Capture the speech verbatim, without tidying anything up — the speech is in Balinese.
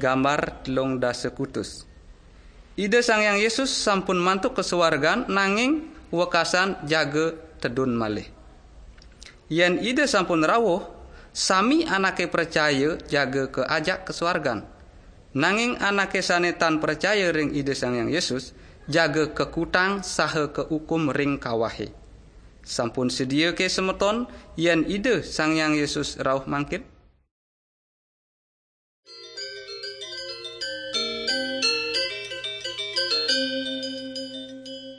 Gambar telung dasa kutus. Ida Sang Hyang Yesus sampun mantuk ka suargan, nanging wekasan jaga tedun malih. Yen Ida sampun rauh, sami anake pracaya jaga kaajak ka suargan. Nanging anake sane tan pracaya ring Ida Sang Hyang Yesus, jaga kakutang saha kaukum ring kawahe. Sampun sedia ke semeton, yen Ida Sang Hyang Yesus rauh mangkin?